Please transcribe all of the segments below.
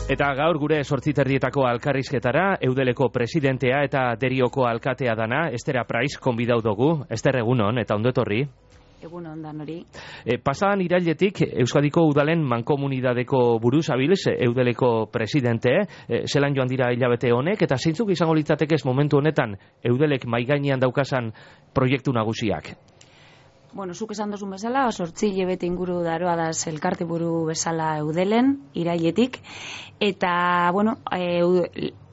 Eta gaur gure 8:30 alkarrizketara Eudeleko presidentea eta Derioko alkatea dana, Esther Apraiz, konbidau dugu. Ester, egunon, eta ondo etorri. Egunon dan hori. Pasadan irailetik Euskadiko Udalen mankomunidadeko buruz abilz, Eudeleko presidente, zelan joan dira hilabete honek, eta zeintzuk izango litzatekez momentu honetan Eudelek maigainean daukasan proiektu nagusiak? Bueno, zuk esan dozun bezala, 8 hilabete inguru daroa da elkarte buru bezala Eudelen, irailetik, eta, bueno,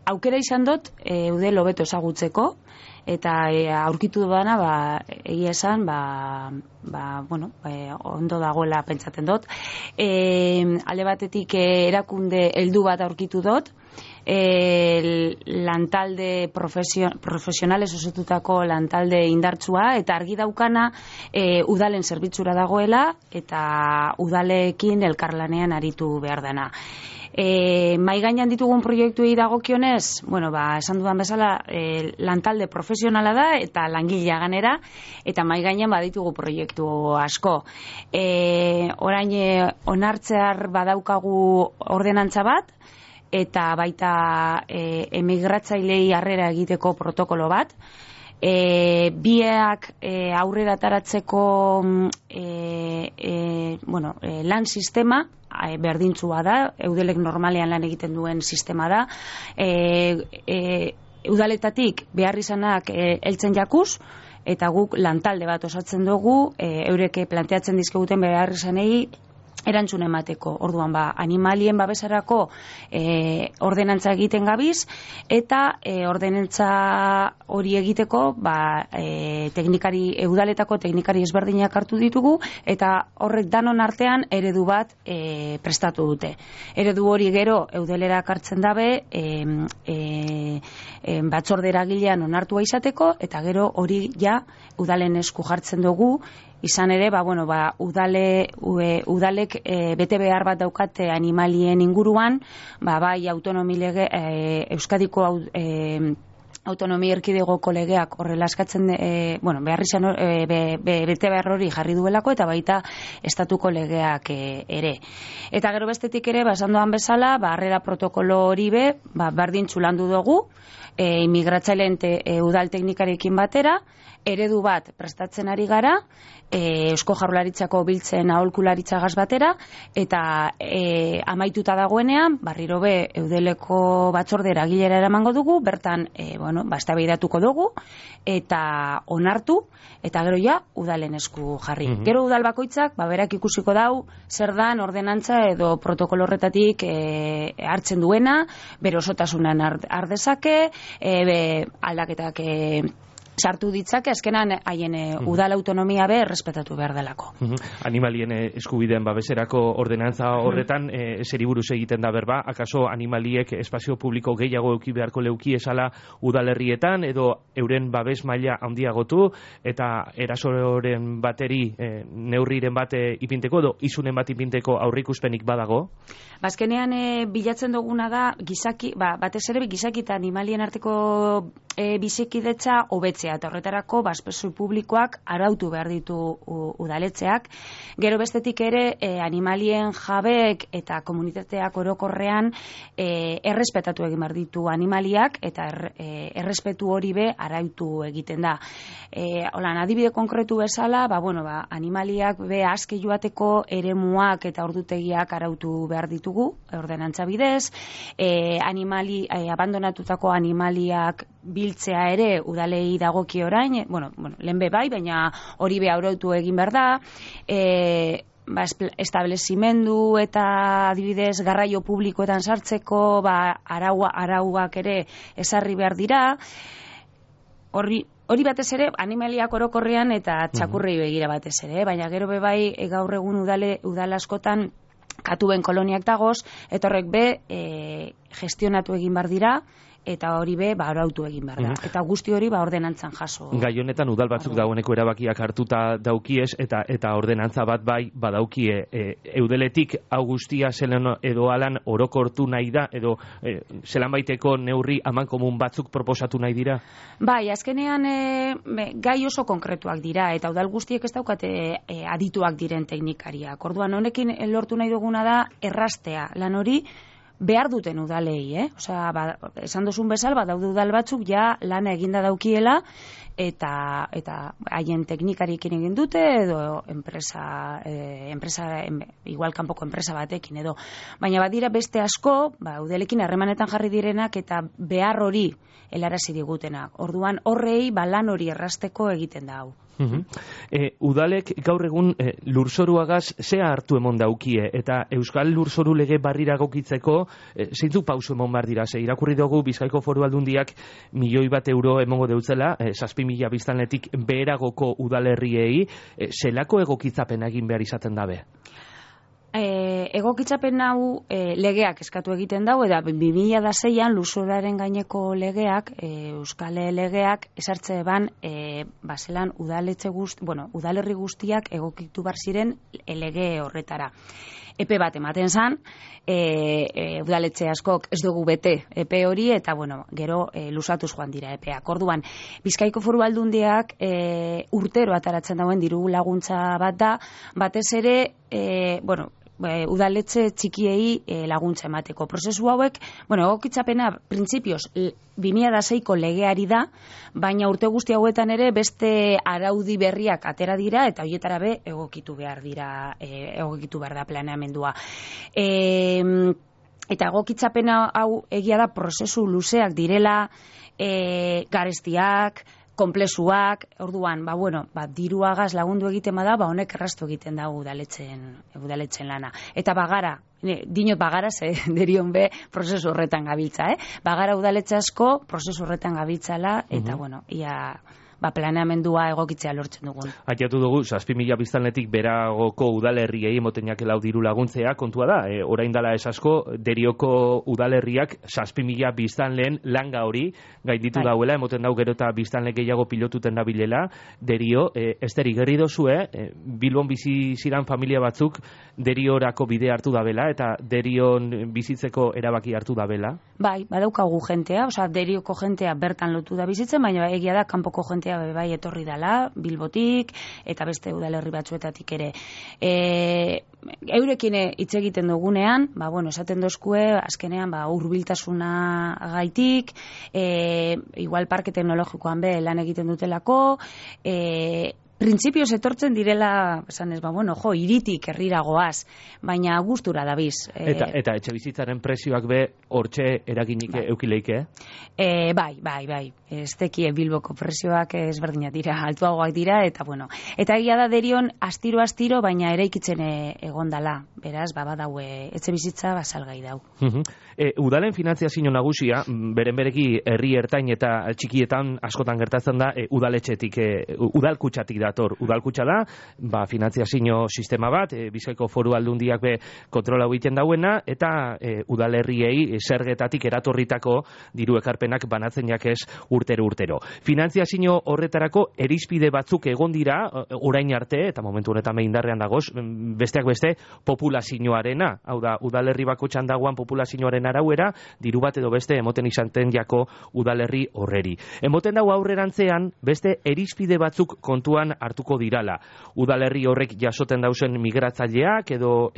aukera izan dut Eudel hobeto ezagutzeko, eta aurkitu dudana, egia esan, ondo dagoela pentsatzen dut. Alde batetik erakunde heldu bat aurkitu dut, lantalde profesionales osotutako lantalde indartsua, eta argi daukana udalen zerbitzura dagoela, eta udalekin elkarlanean aritu behar dana. Mai gainean ditugun proiektuei dagokionez, esan dudan bezala, lantalde profesionala da eta langilea ganera, eta mai gainean baditugu proiektu asko. Orain onartzear badaukagu ordenantza bat, eta baita emigratzailei harrera egiteko protokolo bat. Biak aurrera ataratzeko lan sistema berdintzua da, Eudelek normalean lan egiten duen sistema da. Udaletatik behar izanak heltzen jakuz, eta guk lantalde bat osatzen dugu, eureke planteatzen dizkeguten behar izanei erantzun emateko. Orduan, animalien babesarako ordenantza egiten gabiz, eta ordenantza hori egiteko udaletako teknikari ezberdinak hartu ditugu, eta horrek danon artean eredu bat prestatu dute. Eredu hori gero Eudelera kartzen dabe batzorde eragilean onartua izateko, eta gero hori ja udalen esku jartzen dugu. Izan ere, udalek bete behar bat daukate animalien inguruan, bai autonomi lege, Euskadiko autonomi erkidegoko legeak horrela eskatzen, bete behar hori jarri duelako, eta baita estatuko legeak ere. Eta gero bestetik ere, esan doan bezala, harrera protokolo hori berdintzu landu dugu, imigratzaileen udal teknikarekin batera, eredu bat prestatzen ari gara, Eusko Jaurlaritzako biltzen aholkularitzagaz batera, eta amaituta dagoenean, berriro be Eudeleko batzorde eragilera eramango dugu, bertan eztabaidatuko dugu, eta onartu, eta gero ja udalen esku jarri. Gero udal bakoitzak, berak ikusiko dau, zer dan ordenantza edo protokolo horretatik hartzen duena, bere osotasunan ardezake, aldaketak sartu ditzake, azkenan haien udal autonomia errespetatu behar delako. Animalien eskubideen babeserako ordenantza horretan, zeri buruz egiten da berba, akaso animaliek espazio publiko gehiago euki beharko leuki esala udalerrietan, edo euren babes maila handiagotu, eta erasoren bateri neurriren bate ipinteko, edo izunen bat ipinteko aurrikuspenik badago? Bazkenean bilatzen duguna da, batez ere gizaki eta animalien arteko bizikidetza hobetzea, eta horretarako espazio publikoak arautu behar ditu udaletzeak. Gero bestetik ere animalien jabeek eta komunitateak orokorrean errespetatu egin behar ditu animaliak, eta errespetu hori arautu egiten da. Adibide konkretu bezala, animaliak aske joateko eremuak eta ordutegiak arautu behar ditugu, ordenantza bidez, abandonatutako animaliak biltzea ere udalei dagoki orain, lehen bai, baina hori arautu egin behar da, establezimendu eta adibidez garraio publikoetan sartzeko arauak ere ezarri behar dira. Hori batez ere animaliak orokorrean eta txakurrei begira batez ere, baina gero bai gaur egun udal askotan katuen koloniak dagoz, eta horrek gestionatu egin behar dira, eta hori arautu egin behar da. Eta guzti hori ordenantzan jaso. Gai honetan udal batzuk dagoeneko erabakiak hartuta daukiez, eta ordenantza bat badaukie. Eudeletik hau guztia zelan edo alan orokortu nahi da, edo zelan baiteko neurri amankomun batzuk proposatu nahi dira? Bai, azkenean gai oso konkretuak dira, eta udal guztiek ez daukate adituak diren teknikariak. Orduan honekin lortu nahi duguna da errastea lan hori, behar duten udalei, Osea, esan duzun bezala, badaude udal batzuk ja lana eginda daukiela, eta haien teknikariekin egin dute, edo igual kanpoko enpresa batekin, edo. Baina badira beste asko, udalekin harremanetan jarri direnak, eta behar hori helarazi digutenak. Orduan, horrei lan hori errasteko egiten da hau. Udalek gaur egun lurzoruagaz zea hartu emon daukie, eta Euskal Lurzoru lege barrira gokitzeko zeintzuk pauso emon bar dira, irakurri dugu Bizkaiko Foru Aldundiak €1.000.000 emongo deutzela, 7.000 biztanletik beheragoko udalerriei, zelako egokitzapena egin behar izaten dabe? Egokitzapen hau legeak eskatu egiten dago, eta 2006an lurzoraren gaineko legeak, Euskal legeak, esartze ban, zelan udalerri guztiak egokitu bar ziren lege horretara. Epe bat ematen zan, udaletxe askok ez dugu bete epe hori, eta gero luzatuz joan dira epeak. Orduan, Bizkaiko Foru Aldundiak urtero ataratzen dauen diru laguntza bat da, batez ere, udaletxe txikiei laguntza emateko. Prozesu hauek, egokitzapena printzipioz 2006ko legeari da, baina urte guzti hauetan ere beste araudi berriak atera dira, eta horietara be egokitu behar da planeamendua. Eta egokitzapena hau egia da prozesu luzeak direla, garestiak, konplexuak, orduan, diruagaz lagundu egiten bada, honek erraztu egiten da udaletzen lana. Eta dinot bagara, derion be, prozesu horretan gabiltza, Bagara udaletxe asko, prozesu horretan gabiltzala, eta, ia planeamendua egokitzea lortzen dugun. Aiatu dugu, 7.000 biztanletik beragoko udalerriei emoten jakelau diru laguntzea, kontua da, orain dala ez asko, Derioko udalerriak 7.000 biztanleen langa hori gainditu dauela, emoten dau gero eta biztanle gehiago pilotuten dabilela, Derio, esteri gerri dozue, Bilbon bizi ziran familia batzuk Deriorako bide hartu dabela, eta Derion bizitzeko erabaki hartu dabela? Bai, badaukagu jentea, Derioko jentea bertan lotu da bizitzen, baina egia da kanpoko jentea bai etorri dala, Bilbotik, eta beste udalerri batzuetatik ere. Eurekin hitz egiten dugunean, esaten dozkue, azkenean, hurbiltasuna gaitik, igual parke teknologikoan be lan egiten dutelako, printzipioz etortzen direla, esan ez, hiritik herrira goaz, baina gustura dabiz. Eta etxe bizitzaren prezioak be hortxe eraginik eukileike? Bai. Ez tekie Bilboko prezioak ezberdinak dira, altuagoak dira, eta egia da Derion astiro, baina eraikitzen egondala, beraz, badaue etxe bizitza salgai dau. Udalen finantziazio nagusia, bereki herri ertain eta txikietan askotan gertatzen da, udaletxetik, udalkutxatik dator. Udalkutxa da, finantziazio sistema bat, Bizkaiko Foru Aldundiak be kontrola egiten dauena, eta udalerriei zergetatik eratorritako diru ekarpenak banatzen jakez urtero. Finantziazio horretarako erizpide batzuk egon dira, orain arte, eta momentu honetan indarrean dagoz, besteak beste populazioarena, hau da, udalerri bakotxan dagoan populazioaren arauera, diru bat edo beste emoten izanten jako udalerri horreri. Emoten dago aurrerantzean, beste erizpide batzuk kontuan hartuko dirala. Udalerri horrek jasoten dauzen migratzaileak edo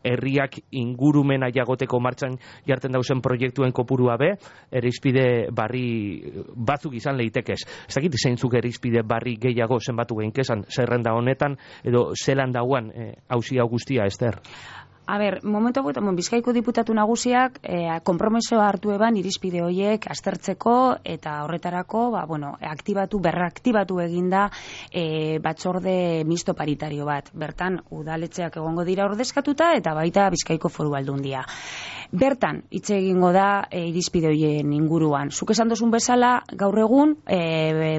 herriak ingurumena jagoteko martxan jarten dauzen proiektuen kopurua be, erizpide barri batzuk izan leitekez. Ez dakit zeintzuk erizpide barri gehiago zenbatu geinkezan, zerrenda honetan edo zelan dauan hausia guztia, Ester? Momentu hauetan, Bizkaiko diputatu nagusiak konpromisoa hartu eban irizpide horiek aztertzeko eta horretarako berraktibatu eginda batzorde misto paritario bat. Bertan, udaletxeak egongo dira ordezkatuta eta baita Bizkaiko Foru Aldundia. Bertan, hitz egingo da irizpide horien inguruan. Zuk esan dozun bezala, gaur egun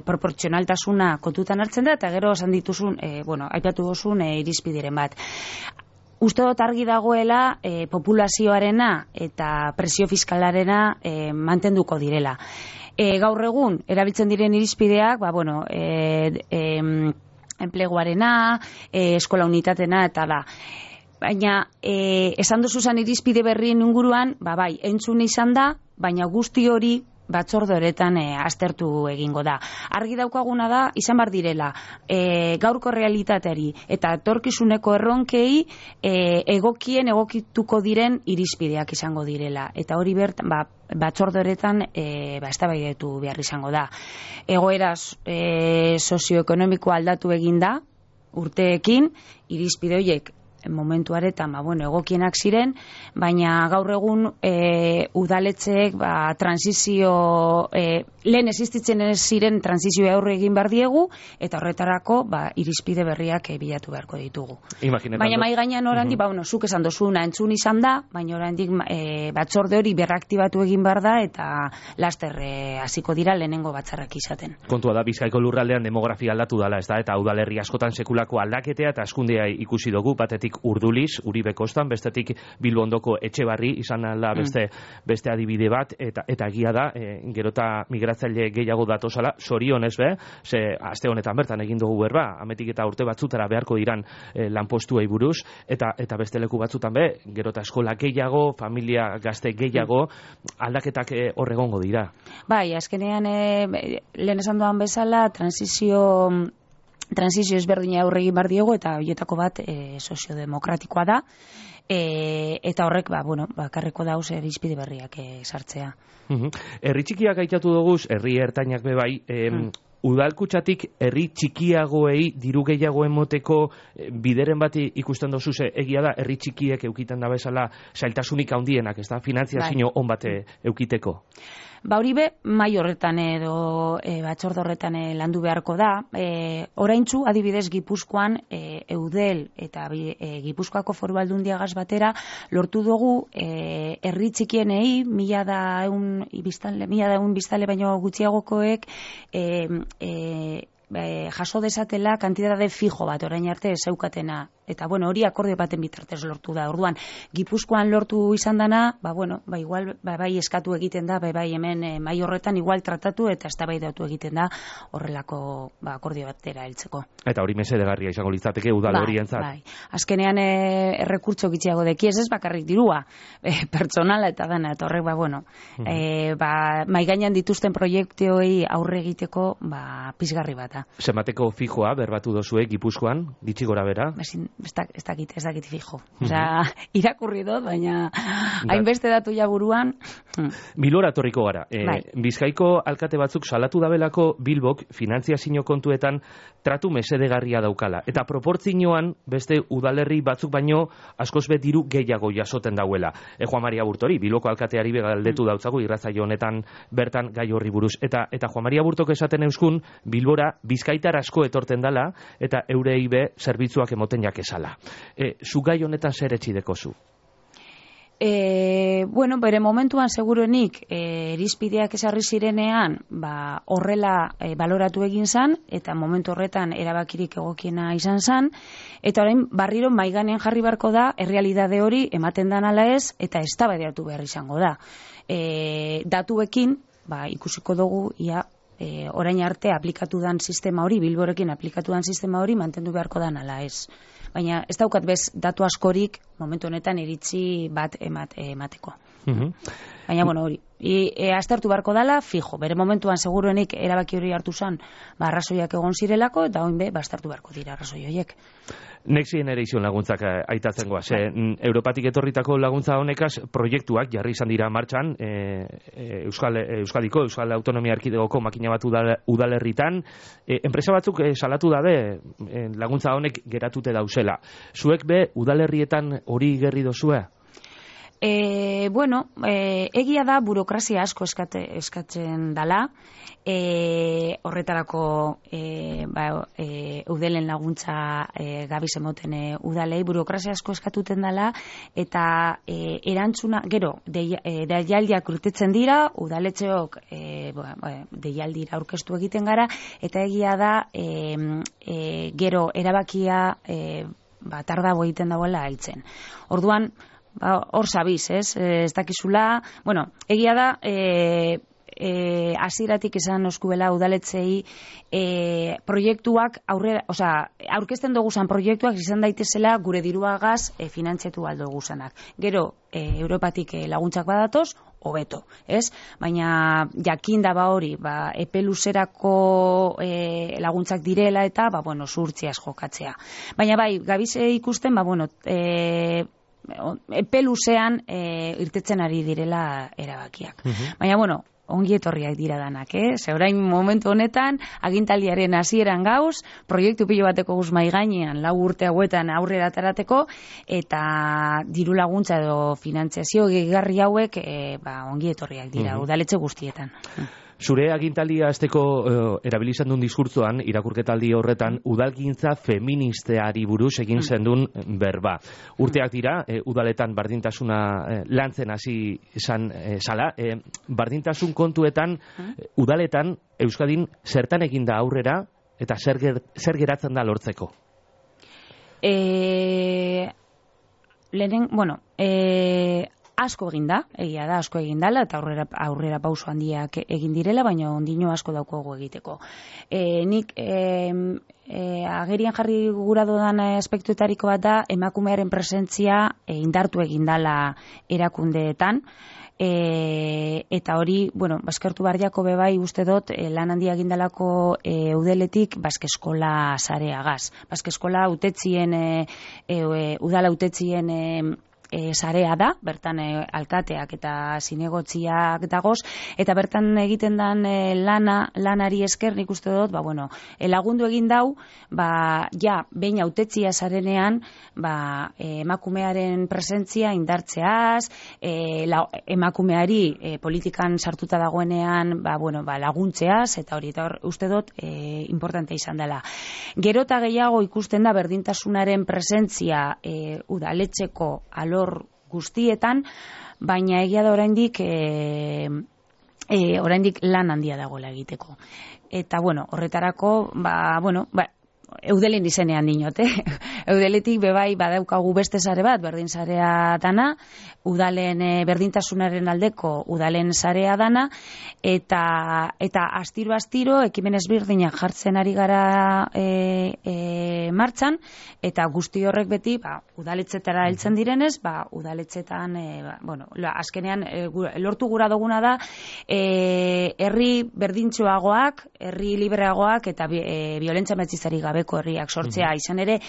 proportzionaltasuna kontutan hartzen da, eta gero esan dituzun, aipatu dozun irizpideren bat. Uste dut argi dagoela populazioarena eta presio fiskalarena mantenduko direla. Gaur egun, erabiltzen diren irizpideak, enpleguarena, eskola unitatena eta da. Baina, esan duzuzan irizpide berrien inguruan, entzun izan da, baina guzti hori batzorde horretan aztertu egingo da. Argi daukaguna da, izan bar direla, gaurko realitateari eta etorkizuneko erronkei egokituko diren irizpideak izango direla. Eta hori batzorde horretan eztabaidatu behar izango da. Egoera sozioekonomikoa aldatu egin da urteekin, irizpide horiek momentuaretan egokienak ziren, baina gaur egun udaletxeek transizio lehen existitzen ziren transizioa aurre egin behar diegu, eta horretarako irizpide berriak bilatu beharko ditugu. Baina mai gainean oraindik, zuk esan dozuna entzun izan da, baina oraindik batzorde hori berraktibatu egin behar da, eta laster hasiko dira lehenengo batzarrak izaten. Kontua da, Bizkaiko lurraldean demografia aldatu dala, ez da, eta udalerri askotan sekulako aldaketea eta askundea ikusi dugu, batetik Urduliz, Uribe kostan, bestetik Bilbondoko Etxebarri izan da beste adibide bat, eta egia da, gerota migratzaile gehiago datozala, zorionez ze aste honetan bertan egin dugu berba, ametik eta urte batzutara beharko diran lanpostuei buruz, eta beste leku batzutan gerota eskola gehiago, familia gazte gehiago, aldaketak horregongo dira. Bai, azkenean lehen esan duan bezala, transizio ezberdina aurre egin behar diegu, eta horietako bat soziodemokratikoa da, eta horrek bakarreko dauz irizpide berriak sartzea. Herri txikiak aitatu dugu, herri ertainak bebai, udalkutxatik herri txikiagoei diru gehiago emoteko bideren bat ikusten dozu, egia da herri txikiek eukiten da bezala zailtasunik handienak, ez da, finantziazio on bat eukiteko. Hori mai horretan edo batzorde horretan landu beharko da. Oraintzu, adibidez, Gipuzkoan Eudel eta Gipuzkoako Foru Aldundiagaz batera lortu dugu herri txikienei 1.100 biztanle baino gutxiagokoek jaso desatela kantitate fijo bat orain arte zeukatena. Eta hori akordio baten bitartez lortu da. Orduan, Gipuzkoan lortu izan dana, igual bai eskatu egiten da, bai hemen mai horretan igual tratatu eta eztabaidatu egiten da horrelako akordio batera heltzeko. Eta hori mesedegarria izango litzateke udal horientzat. Bai. Azkenean errekurtso gitxiago deki, ez bakarrik dirua, pertsonala eta dana, eta horrek mai gainean dituzten proiektuei aurre egiteko pizgarri bat. Zenbateko fijoa berbatu dozue Gipuzkoan, ditxi gora bera? Ez dakit fijo. Irakurri dut, baina hainbeste datu jaburuan. Bilbora torriko gara. Bizkaiko alkate batzuk salatu dabelako Bilbok finantziazio kontuetan tratu mesedegarria daukala. Eta proportzioan beste udalerri batzuk baino askoz diru gehiago jasoten dauela. Juan Maria Burtori, Bilboko alkateari galdetu dautzagu irratsaio honetan bertan gai horri buruz. Eta Juan Maria Burtok esaten euskun, Bilbora bizkaitar asko etorten dala, eta eurei zerbitzuak emoten jakezala. Zu gai honetan zer etxideko zu? Bere momentuan seguruenik irizpideak esarri zirenean horrela baloratu egin zan, eta momentu horretan erabakirik egokiena izan zan, eta orain barriro maiganean jarri barko da errealitate hori ematen dan ala ez, eta eztabaidatu behar izango da. Datuekin ikusiko dugu orain arte aplikatu dan sistema hori, Bilborekin aplikatu dan sistema hori mantendu beharko dan ala ez. Baina ez daukat datu askorik momentu honetan iritzi bat emateko. Baina hori, aztertu beharko dala, fijo, bere momentuan seguruenik erabaki hori hartu zan, arrazoiak egon zirelako, eta oin aztertu beharko dira arrazoi horiek. Next Generation laguntzak aitatzen goaz. Europatik etorritako laguntza honekaz proiektuak jarri izan dira martxan, Euskal Autonomia Erkidegoko makina bat udalerritan. Enpresa batzuk salatu dabe laguntza honek geratute dauzela. Zuek udalerrietan hori gerri dozue? Egia da burokrazia asko eskatzen dala, horretarako udelen laguntza gabiz emoten udalei, burokrazia asko eskatuten dala, eta erantzuna, gero, deialdiak urtetzen dira, udaletxeok deialdira aurkeztu egiten gara, eta egia da, gero, erabakia tardago egiten dagoela heltzen. Orduan, hor sabiz, ez dakizula, egia da, hasieratik esan oskuela udaletzei proiektuak aurkezten doguzan proiektuak izan daitezela gure diruagaz finantziatu aldo guzanak. Gero, Europatik laguntzak badatoz, hobeto, ez? Baina jakin da hori, epe luzerako laguntzak direla eta zuhurtziaz jokatzea. Baina gabize ikusten, epe luzean irtetzen ari direla erabakiak. Baina, ongi etorriak dira danak, Ze orain momentu honetan, agintaldiaren hasieran gauz, proiektu pilo bateko guz mai gainean, 4 urte hauetan aurrera atarateko, eta diru laguntza edo finantziazio gehigarri hauek ongi etorriak dira, udaletxe guztietan. Zure agintaldia azteko erabilizan duen diskurtzoan, irakurketaldi horretan, udalgintza feministeari buruz egin zendun berba. Urteak dira, udaletan bardintasuna lantzen hasi izan zala. Bardintasun kontuetan, udaletan, Euskadin zertan egin da aurrera, eta zer geratzen da lortzeko? Asko egin da, egia da, asko egin dela, eta aurrera pauso handiak egin direla, baina ondino asko daukogu egiteko. Nik agerian jarri gura dudan aspektuetariko bat da, emakumearen presentzia indartu egin dela erakundeetan, eta hori, eskertu barriako bebai uste dut, lan handia egindalako udeletik Baskeskola sareagaz. Baskeskola udala utetzien sarea da, bertan alkateak eta zinegotziak dagoz, eta bertan egiten den lanari esker nik uste dut, lagundu egin dau, behin autetzia zarenean, emakumearen presentzia indartzeaz, emakumeari politikan sartuta dagoenean, laguntzeaz, eta hori, uste dut, importante izan dela. Gero eta gehiago ikusten da berdintasunaren presentzia udaletxeko alor guztietan, baina egia da oraindik lan handia dagoela egiteko. Eta horretarako eudelen izenean dinot, Eudeletik bebai badaukagu beste sare bat, berdin sarea dana, udalen berdintasunaren aldeko udalen sarea dana, eta astiro ekimen ezberdinak jartzen ari gara martxan, eta guzti horrek beti udaletxetara heltzen direnez, udaletxetan, azkenean lortu gura duguna da, herri berdintxoagoak, herri libreagoak, eta violentzia matxistari gabeko herriak sortzea, izan ere,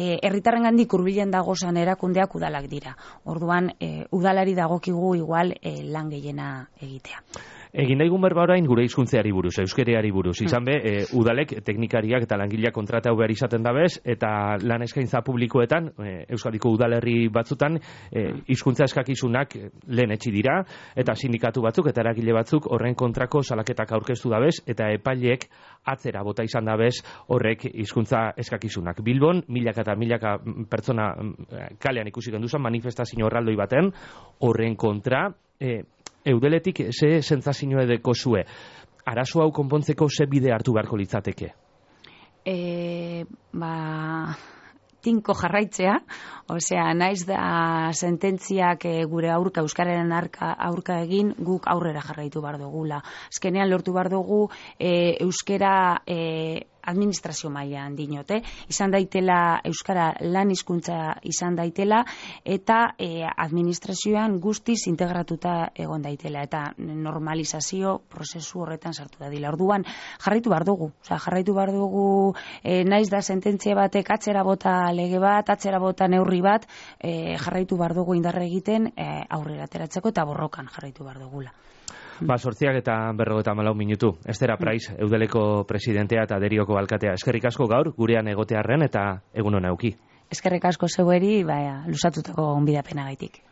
herritarrengandik hurbilen dagozan erakundeak udalak dira. Orduan, udalari dagokigu igual lan gehiena egitea. Egin daigun berba orain gure hizkuntzeari buruz, euskereari buruz. Izan be, udalek teknikariak eta langileak kontratatu behar izaten dabez, eta lan eskaintza publikoetan, Euskadiko udalerri batzutan, hizkuntza eskakizunak lehen etxi dira, eta sindikatu batzuk eta eragile batzuk horren kontrako salaketak aurkeztu dabez, eta epaileek atzera bota izan dabez horrek hizkuntza eskakizunak. Bilbon, milaka eta milaka pertsona kalean ikusi genduzan, manifestazio horraldoi baten, horren kontra, Eudeletik ze sentsazio edeko zue? Arazo hau konpontzeko ze bide hartu beharko litzateke? Tinko jarraitzea, naiz da sententziak gure aurka, euskararen aurka egin, guk aurrera jarraitu behar dugula. Azkenean lortu behar dugu euskara administrazio mailan dinote, izan daitela euskara lan hizkuntza izan daitela, eta administrazioan guztiz integratuta egon daitela, eta normalizazio prozesu horretan sartu da dila. Orduan jarraitu behar dugu, naiz da sententzia batek atzera bota lege bat, atzera bota neurri bat, jarraitu behar dugu indarra egiten aurrera ateratzeko, eta borrokan jarraitu behar dugula. 8 eta 54 minutu. Estera Praiz, Eudeleko presidentea eta Derioko alkatea. Eskerrik asko gaur, gurean egotearren eta egun hona euki. Eskerrik asko zeueri, lusatutako onbidapena gaitik.